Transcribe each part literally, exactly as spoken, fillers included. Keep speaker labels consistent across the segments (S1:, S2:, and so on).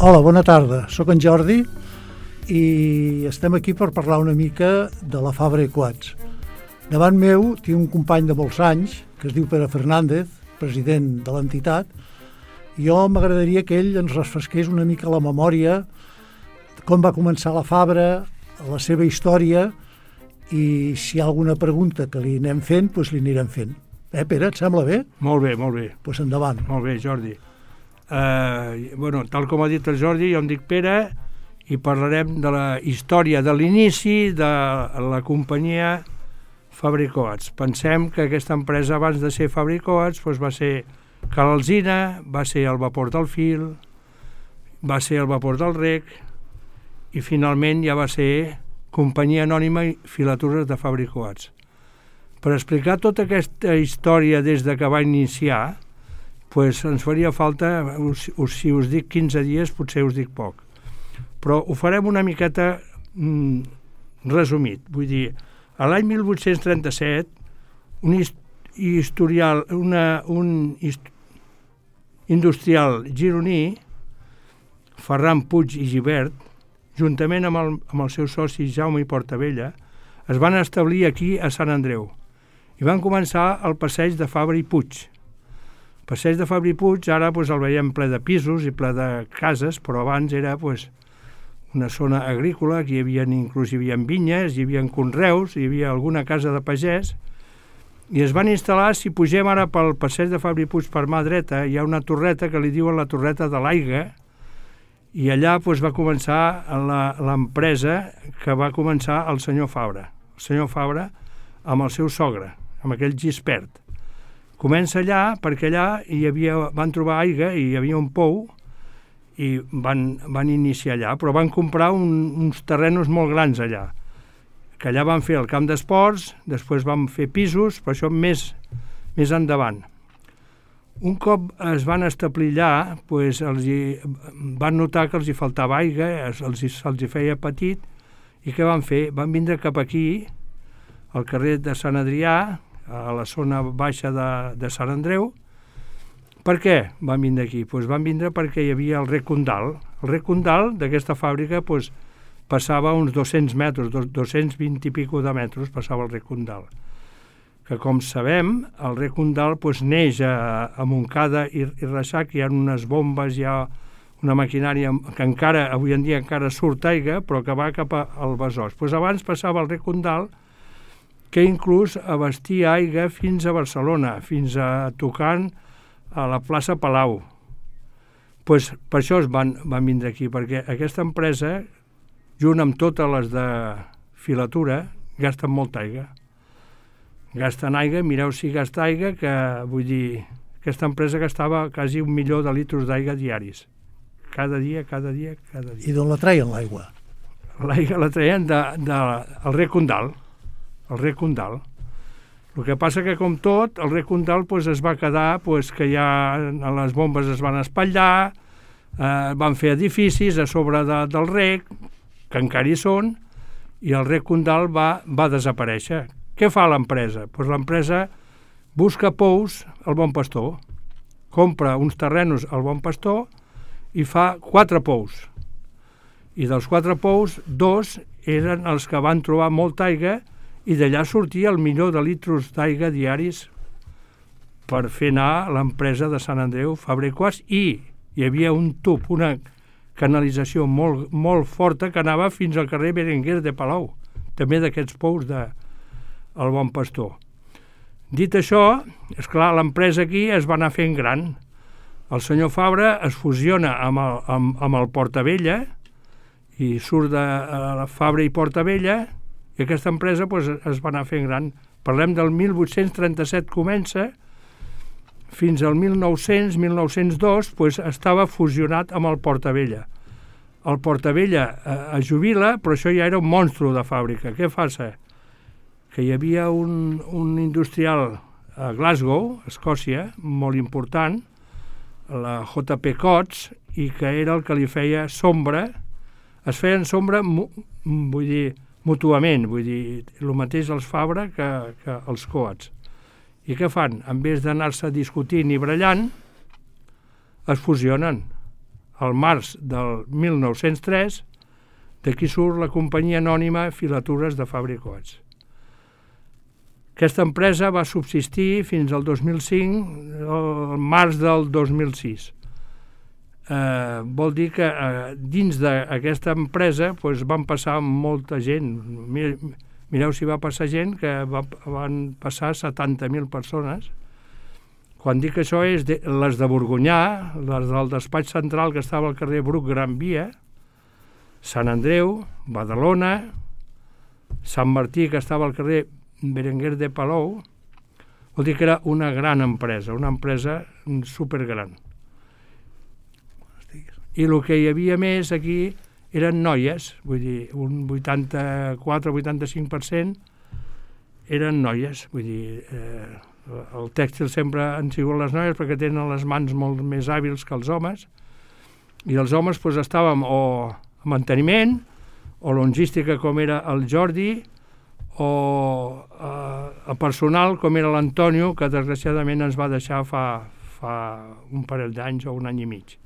S1: Hola, bona tarda. Soc en Jordi i estem aquí per parlar una mica de la Fabra i Coats. Davant meu tinc un company de molts anys que es diu Pere Fernández, president de l'entitat. Jo m'agradaria que ell ens refresqués una mica la memòria de com va començar la Fabra, la seva història, i si hi ha alguna pregunta que li anem fent, doncs li anirem fent. Eh, Pere, et sembla bé?
S2: Molt bé, molt bé.
S1: Doncs endavant.
S2: Molt bé, Jordi. Uh, bueno, tal com ha dit el Jordi, jo em dic Pere i parlarem de la història de l'inici de la companyia Fabra i Coats. Pensem que aquesta empresa, abans de ser Fabra i Coats, doncs va ser Cal Alzina, va ser el Vapor del Fil, va ser el Vapor del Rec i finalment ja va ser Companyia Anònima i Filatures de Fabra i Coats. Per explicar tota aquesta història des de que va iniciar, pues ens faria falta, us, us, si us dic quinze dies, potser us dic poc. Però ho farem una miqueta mm, resumit. Vull dir, a l'any mil vuit-cents trenta-set, un historial, una, un hist industrial gironí, Ferran Puig i Gibert, juntament amb el, amb el seu soci Jaume i Portabella, es van establir aquí a Sant Andreu i van començar el passeig de Fabra i Puig. Passeig de Fabra i Puig, ara pues, el veiem ple de pisos i ple de cases, però abans era pues, una zona agrícola, que hi havia, inclús hi havia vinyes, hi havia conreus, hi havia alguna casa de pagès, i es van instal·lar, si pugem ara pel passeig de Fabra i Puig per mà dreta, hi ha una torreta que li diuen la torreta de l'Aiga, i allà pues, va començar l'empresa que va començar el senyor Fabra, el senyor Fabra amb el seu sogre, amb aquell Gispert. Comença allà perquè allà hi havia, van trobar aigua i hi havia un pou i van, van iniciar allà, però van comprar un, uns terrenos molt grans allà, que allà van fer el camp d'esports, després van fer pisos, però això més, més endavant. Un cop es van establir allà, pues, els hi, van notar que els hi faltava aigua, els hi, se'ls hi feia petit, i què van fer? Van vindre cap aquí, al carrer de Sant Adrià, a la zona baixa de, de Sant Andreu. Per què van vindre aquí? Pues van vindre perquè hi havia el Rec Condal. El Rec Condal d'aquesta fàbrica pues, passava uns dos-cents metres, dos-cents vint i pico de metres passava el Rec Condal. Que com sabem, el Rec Condal pues, neix a, a Montcada i, i Reixac, hi ha unes bombes, hi ha una maquinària que encara, avui en dia encara surt aigua, però que va cap al Besòs. Pues abans passava el Rec Condal, que inclús abastia aigua fins a Barcelona, fins a tocant a la plaça Palau. Pues per això es van, van vindre aquí, perquè aquesta empresa, junt amb totes les de filatura, gasten molta aigua. Gasten aigua, mireu si gasta aigua, que vull dir, aquesta empresa gastava quasi un milió de litres d'aigua diaris. Cada dia, cada dia, cada dia.
S1: I d'on la treien, l'aigua?
S2: L'aigua la treien de, de, el Rec Condal. el Rec Condal. El que passa que, com tot, el Rec Condal pues, es va quedar pues, que ja les bombes es van espatllar, eh, van fer edificis a sobre de, del rec, que encara hi són, i el Rec Condal va, va desaparèixer. Què fa l'empresa? Pues l'empresa busca pous al Bon Pastor, compra uns terrenos al Bon Pastor i fa quatre pous. I dels quatre pous, dos eren els que van trobar molta aigua i d'allà sortia el milió de litres d'aigua diaris per fer anar l'empresa de Sant Andreu, Fabra i Coats, i hi havia un tub, una canalització molt, molt forta que anava fins al carrer Berenguer de Palau, també d'aquests pous de el Bon Pastor. Dit això, esclar, l'empresa aquí es va anar fent gran. El senyor Fabra es fusiona amb el, amb, amb el Portabella i surt de la Fabra i Portabella, i aquesta empresa pues, es va anar fent gran. Parlem del mil vuit-cents trenta-set comença, fins al mil nou-cents, mil nou-cents dos, pues, estava fusionat amb el Portabella. El Portabella eh, es jubila, però això ja era un monstru de fàbrica. Què passa? Que hi havia un, un industrial a Glasgow, Escòcia, molt important, la J P Coats, i que era el que li feia sombra. Es feien sombra, vull dir, mútuament, vull dir, el mateix els Fabra que, que els Coats. I què fan? En vez d'anar-se discutint i brallant, es fusionen. al març del mil nou-cents tres, d'aquí surt la companyia anònima Filatures de Fabra i Coats. Aquesta empresa va subsistir fins al dos mil cinc, al març del dos mil sis. Eh, vol dir que eh, dins d'aquesta empresa doncs, van passar molta gent. Mireu si va passar gent, que va, van passar setanta mil persones. Quan dic això és de, les de Borgonyà, les del despatx central que estava al carrer Bruc Gran Via, Sant Andreu, Badalona, Sant Martí, que estava al carrer Berenguer de Palou. Vol dir que era una gran empresa, una empresa supergran. I el que hi havia més aquí eren noies, vull dir, un vuitanta-quatre a vuitanta-cinc per cent eren noies, vull dir, eh, el tèxtil sempre han sigut les noies perquè tenen les mans molt més hàbils que els homes, i els homes doncs, estàvem o a manteniment, o logística com era el Jordi, o a, a personal com era l'Antonio, que desgraciadament ens va deixar fa, fa un parell d'anys o un any i mig,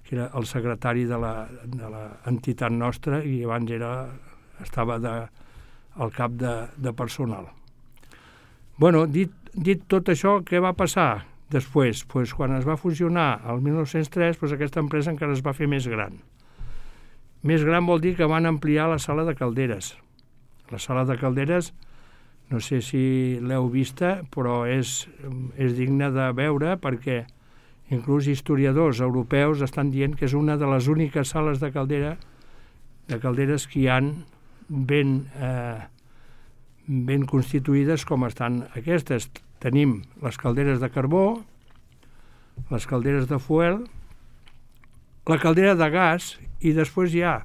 S2: que era el secretari de l'entitat nostra i abans era, estava de, al cap de, de personal. Bueno, dit, dit tot això, què va passar després? Pues quan es va fusionar el mil nou-cents tres, pues aquesta empresa encara es va fer més gran. Més gran vol dir que van ampliar la sala de calderes. La sala de calderes, no sé si l'heu vista, però és, és digna de veure perquè inclús historiadors europeus estan dient que és una de les úniques sales de caldera de calderes que hi han ben, eh, ben constituïdes com estan aquestes. Tenim les calderes de carbó, les calderes de fuel, la caldera de gas i després hi ha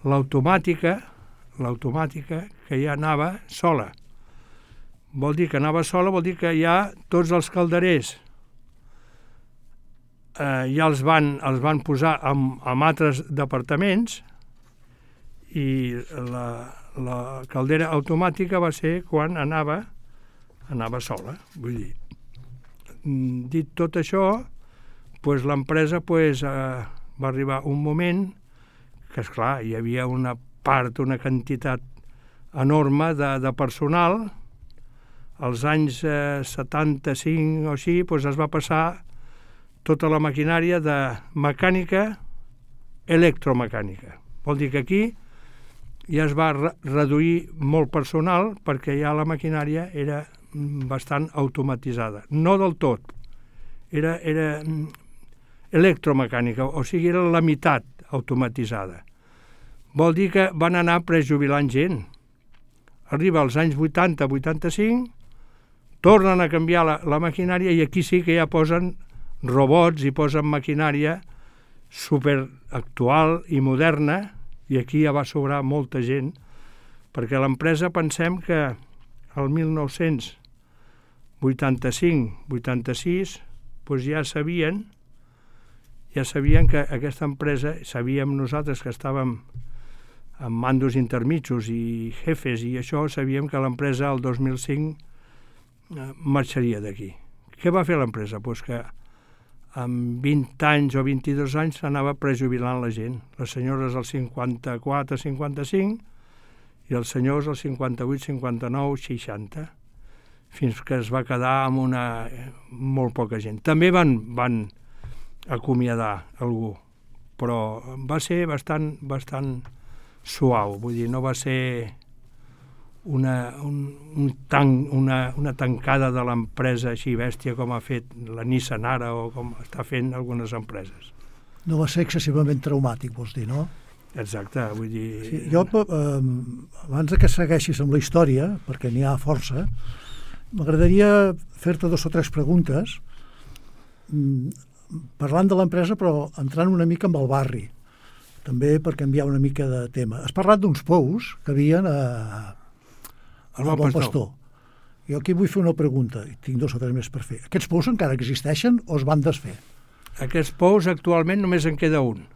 S2: l'automàtica, l'automàtica que ja anava sola. Vol dir que anava sola, vol dir que ja tots els calderers eh, ja els van, els van posar en, en altres departaments i la, la caldera automàtica va ser quan anava, anava sola. Vull dir, dit tot això, pues, l'empresa pues, eh, va arribar un moment que, esclar, hi havia una part, una quantitat enorme de, de personal. Als anys eh, setanta-cinc o així pues, es va passar tota la maquinària de mecànica electromecànica. Vol dir que aquí ja es va re reduir molt personal perquè ja la maquinària era bastant automatitzada. No del tot, era, era electromecànica, o sigui, era la meitat automatitzada. Vol dir que van anar prejubilant gent. Arriba als anys vuitanta vuitanta-cinc, tornen a canviar la, la maquinària i aquí sí que ja posen robots i posen maquinària superactual i moderna i aquí ja va sobrar molta gent perquè l'empresa pensem que el mil nou-cents vuitanta-cinc vuitanta-sis doncs ja sabien ja sabien que aquesta empresa, sabíem nosaltres que estàvem amb mandos intermitjos i jefes i això, sabíem que l'empresa el dos mil cinc marxaria d'aquí. Què va fer l'empresa? Pues que amb vint anys o vint-i-dos anys s'anava prejubilant la gent. Les senyores als cinquanta-quatre cinquanta-cinc i els senyors als cinquanta-vuit cinquanta-nou seixanta, fins que es va quedar amb una molt poca gent. També van, van acomiadar algú, però va ser bastant, bastant suau, vull dir, no va ser una, un, un tanc, una, una tancada de l'empresa així bèstia com ha fet la Nissan ara o com està fent algunes empreses.
S1: No va ser excessivament traumàtic, vols dir, no?
S2: Exacte, vull dir...
S1: Sí, jo, eh, abans que segueixis amb la història, perquè n'hi ha força, m'agradaria fer-te dos o tres preguntes, parlant de l'empresa, però entrant una mica amb el barri, també per canviar una mica de tema. Has parlat d'uns pous que havien a, a Bon Pastor. Pastor. Jo aquí vull fer una pregunta, i tinc dos o tres més per fer. Aquests pous encara existeixen o es van desfer?
S2: Aquests pous actualment només en queda un.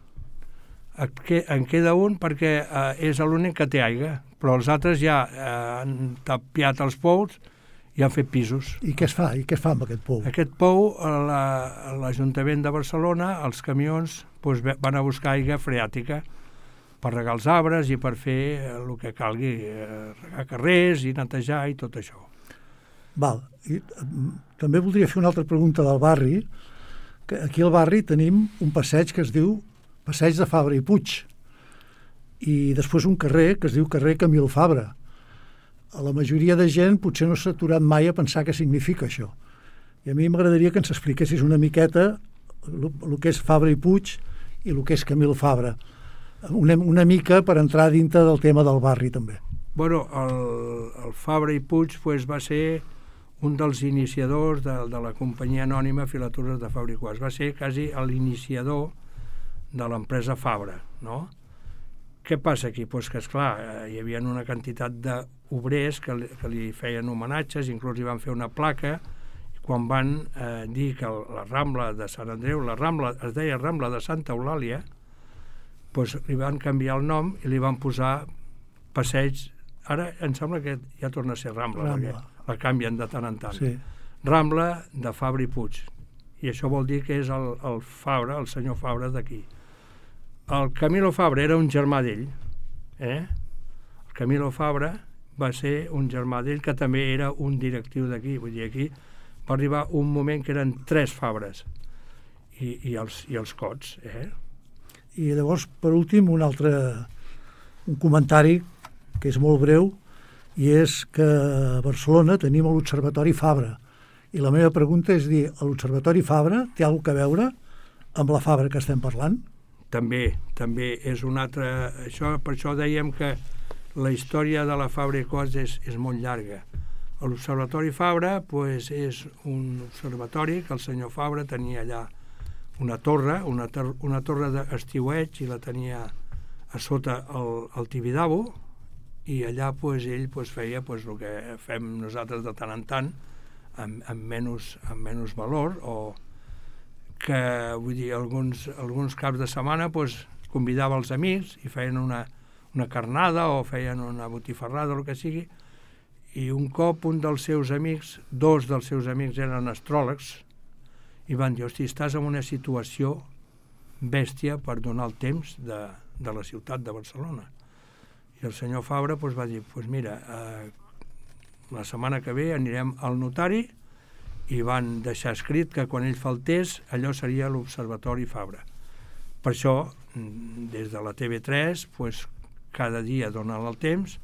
S2: En queda un perquè eh, és l'únic que té aigua, però els altres ja eh, han tapiat els pous i han fet pisos.
S1: I què es fa? I què es fa amb aquest pou?
S2: Aquest pou, la, l'Ajuntament de Barcelona, els camions doncs, van a buscar aigua freàtica per regar els arbres i per fer el que calgui, eh, regar carrers i netejar i tot això.
S1: Val. I, també voldria fer una altra pregunta del barri. Que aquí al barri tenim un passeig que es diu Passeig de Fabra i Puig i després un carrer que es diu carrer Camil Fabra. A la majoria de gent potser no s'ha aturat mai a pensar què significa això. I a mi m'agradaria que ens expliquessis una miqueta el que és Fabra i Puig i el que és Camil Fabra. Una, una mica per entrar dintre del tema del barri també.
S2: Bueno, el, el Fabra i Puig pues, va ser un dels iniciadors de, de la companyia anònima Filatures de Fabra i Coats. Va ser quasi l'iniciador de l'empresa Fabra, no? Què passa aquí? Pues que, esclar, hi havia una quantitat d'obrers que, li, que li feien homenatges, inclús li van fer una placa, i quan van eh, dir que la Rambla de Sant Andreu, la Rambla es deia Rambla de Santa Eulàlia, pues li van canviar el nom i li van posar passeig. Ara em sembla que ja torna a ser Rambla, Rambla. Perquè la canvien de tant en tant.
S1: Sí.
S2: Rambla de Fabra i Puig. I això vol dir que és el, el Fabra, el senyor Fabra d'aquí. El Camilo Fabra era un germà d'ell. Eh? El Camilo Fabra va ser un germà d'ell que també era un directiu d'aquí. Vull dir, aquí va arribar un moment que eren tres Fabres i, i, els, i els Cots. Eh?
S1: I llavors, per últim, un altre un comentari que és molt breu i és que a Barcelona tenim l'Observatori Fabra. I la meva pregunta és dir, l'Observatori Fabra té alguna cosa a veure amb la Fabra que estem parlant?
S2: També, també és un altre... Això, per això dèiem que la història de la Fabra i Coats és, és molt llarga. L'Observatori Fabra pues, és un observatori que el senyor Fabra tenia allà una torre, una, tor una torre d'estiueig i la tenia a sota el, el Tibidabo i allà pues, ell pues, feia pues, el que fem nosaltres de tant en tant amb, amb, menys, amb menys valor o que, vull dir, alguns, alguns caps de setmana pues, convidava els amics i feien una, una carnada o feien una botifarrada o el que sigui i un cop un dels seus amics, dos dels seus amics eren astròlegs i van dir, hosti, estàs en una situació bèstia per donar el temps de, de la ciutat de Barcelona. I el senyor Fabra pues, va dir, pues mira, eh, la setmana que ve anirem al notari i van deixar escrit que quan ell faltés allò seria l'Observatori Fabra. Per això, des de la T V tres, pues, cada dia donen el temps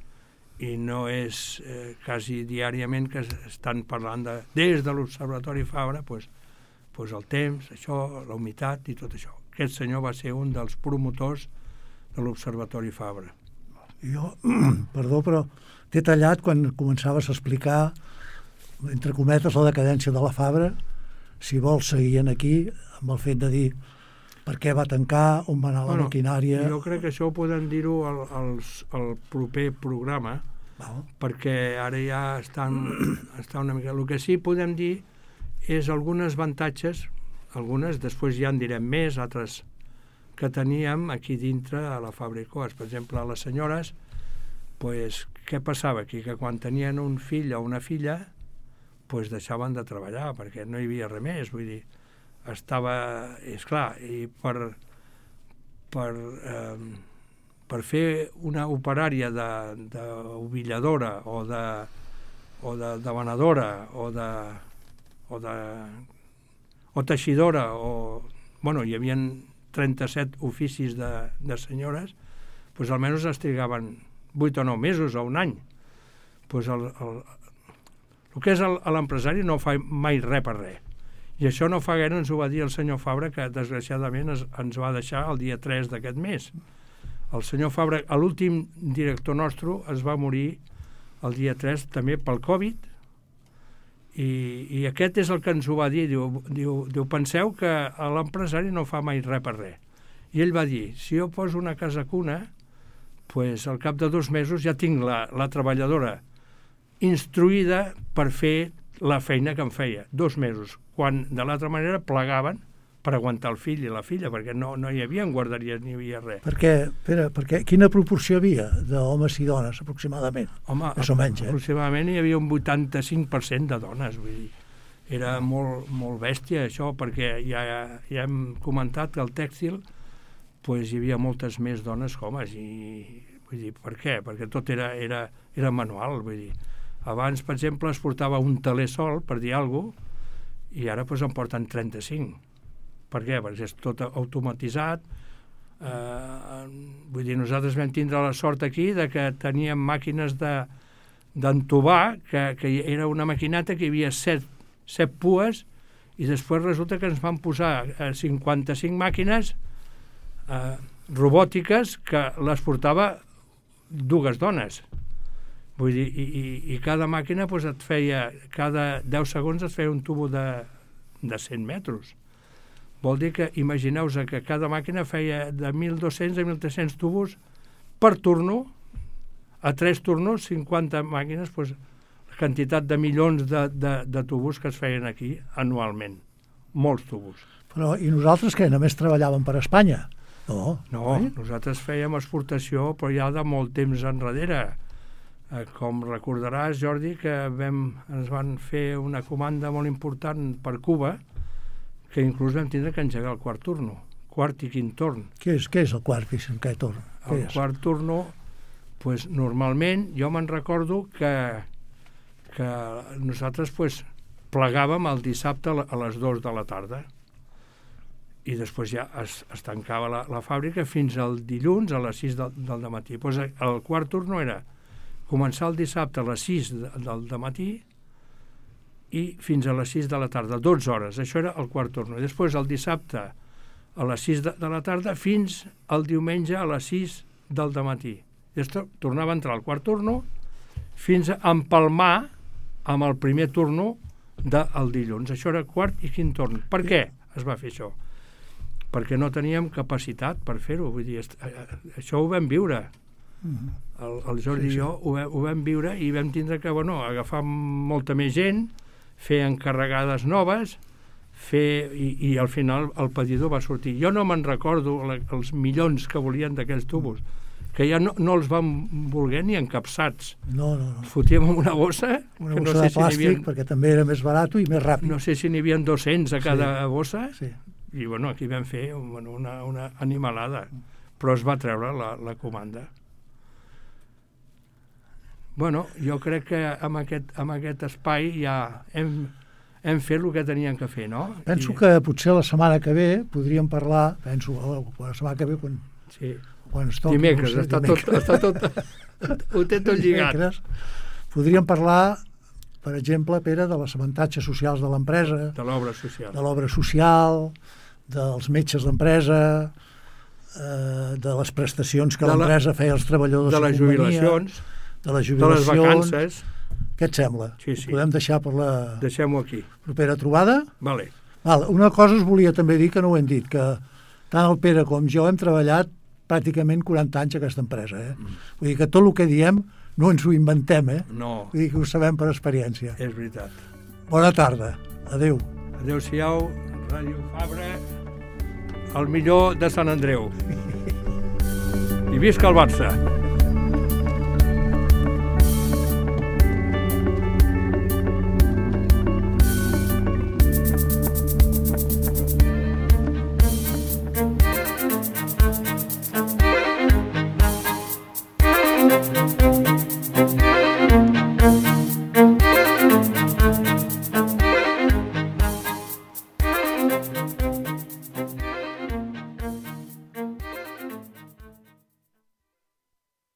S2: i no és eh, quasi diàriament que estan parlant de, des de l'Observatori Fabra, pues, pues el temps, això, la humitat i tot això. Aquest senyor va ser un dels promotors de l'Observatori Fabra.
S1: Jo, perdó, però t'he tallat quan començaves a explicar entre cometes la decadència de la Fabra. Si vols seguir aquí amb el fet de dir per què va tancar, on va anar la bueno, maquinària...
S2: Jo crec que això ho podem dir-ho al, al, al proper programa,
S1: Val.
S2: Perquè ara ja estan, estan una mica... El que sí podem dir és algunes avantatges, algunes, després ja en direm més, altres que teníem aquí dintre a la Fabra i Coats. Per exemple, a les senyores, pues, què passava aquí? Que quan tenien un fill o una filla, pues, deixaven de treballar, perquè no hi havia res més, vull dir, estava... És clar, i per, per, eh, per fer una operària d'ovilladora o de, o de, de venedora o de, o de o teixidora o... Bueno, hi havia trenta-set oficis de, de senyores, doncs almenys es trigaven vuit o nou mesos o un any. Doncs el, el, el que és l'empresari no fa mai res per res. I això no fa gaire ens ho va dir el senyor Fabra, que desgraciadament es, ens va deixar el dia tres d'aquest mes. El senyor Fabra, l'últim director nostre, es va morir el dia tres també pel Covid, i, i aquest és el que ens ho va dir. Diu, diu, diu penseu que l'empresari no fa mai res per res. I ell va dir, si jo poso una casa cuna, pues, al cap de dos mesos ja tinc la, la treballadora instruïda per fer la feina que em feia. Dos mesos. Quan de l'altra manera plegaven per aguantar el fill i la filla, perquè no, no hi havia guarderies ni hi havia res.
S1: Perquè, Pere, perquè quina proporció hi havia d'homes i dones, aproximadament?
S2: Home,
S1: més o menys, eh?
S2: aproximadament hi havia un vuitanta-cinc per cent de dones, vull dir, era molt, molt bèstia això, perquè ja, ja hem comentat que al tèxtil pues, hi havia moltes més dones que homes, i vull dir, per què? Perquè tot era, era, era manual, vull dir. Abans, per exemple, es portava un teler sol, per dir alguna cosa, i ara pues, en porten trenta-cinc. Per què? Perquè és tot automatitzat. Eh, vull dir, nosaltres vam tindre la sort aquí de que teníem màquines de, d'entubar, que, que era una maquineta que hi havia set, set pues, i després resulta que ens van posar cinquanta-cinc màquines eh, robòtiques que les portava dues dones. Vull dir, i, i, i cada màquina pues, et feia, cada deu segons et feia un tubo de, de cent metres. Vol dir que, imagineu-vos que cada màquina feia de mil dos-cents a mil tres-cents tubos per turno, a tres turnos, cinquanta màquines, doncs, la quantitat de milions de, de, de tubos que es feien aquí anualment. Molts tubos.
S1: Però, i nosaltres què? Només treballàvem per Espanya? No.
S2: No, eh? Nosaltres fèiem exportació, però ja de molt temps enrere. Eh, com recordaràs, Jordi, que vam, ens van fer una comanda molt important per Cuba, que inclús vam tindre que engegar el quart turno, quart i quint torn.
S1: Què és, què és el quart i quint torn?
S2: El
S1: és?
S2: quart turno, pues, normalment, jo me'n recordo que, que nosaltres pues, plegàvem el dissabte a les dues de la tarda i després ja es, es tancava la, la fàbrica fins al dilluns a les sis del, del matí. Pues, el quart turno era començar el dissabte a les sis del matí i fins a les sis de la tarda, dotze hores, això era el quart turno. I després el dissabte a les sis de, de la tarda fins al diumenge a les sis del matí. I després tornava a entrar al quart turno fins a empalmar amb el primer turno del dilluns. Això era quart i quint torn. Per què es va fer això? Perquè no teníem capacitat per fer-ho. Vull dir, això ho vam viure. El, el Jordi sí, sí. i jo ho, ho vam viure i vam tindre que bueno, agafar molta més gent, fer encarregades noves, fer, i, i al final el pedidor va sortir. Jo no me'n recordo la, els milions que volien d'aquells tubos, que ja no, no els vam voler ni encapçats.
S1: No, no, no.
S2: Els fotíem en una bossa.
S1: Una
S2: que
S1: bossa
S2: no sé
S1: de
S2: si
S1: plàstic,
S2: havien,
S1: perquè també era més barat i més ràpid.
S2: no sé si n'hi havia dos-cents a cada
S1: sí,
S2: bossa,
S1: sí.
S2: I bueno, aquí vam fer bueno, una, una animalada, però es va treure la, la comanda. Bueno, jo crec que amb aquest, amb aquest espai ja hem, hem fet el que teníem que fer, no?
S1: Penso
S2: I...
S1: que potser la setmana que ve podríem parlar, penso, la setmana que ve quan,
S2: sí.
S1: quan es toqui...
S2: Dimecres,
S1: no sé,
S2: està,
S1: dimecres.
S2: Tot, està tot... Ho té tot lligat.
S1: Dimecres, podríem parlar, per exemple, Pere, de les avantatges socials de l'empresa,
S2: de l'obra social,
S1: de l'obra social, dels metges d'empresa, eh, de les prestacions que l'empresa feia als treballadors
S2: de les jubilacions,
S1: de les jubilacions,
S2: de les vacances.
S1: Què et sembla?
S2: Sí, sí.
S1: Podem deixar per la
S2: Deixem-ho aquí.
S1: propera trobada?
S2: Vale.
S1: Val, una cosa us volia també dir, que no ho hem dit, que tant el Pere com jo hem treballat pràcticament quaranta anys a aquesta empresa. Eh? Mm. Vull dir que tot el que diem no ens ho inventem, eh?
S2: No.
S1: Vull dir que ho sabem per experiència.
S2: És veritat.
S1: Bona tarda. Adéu.
S2: Adéu-siau, Ràdio Fabra, el millor de Sant Andreu. I visca el Barça!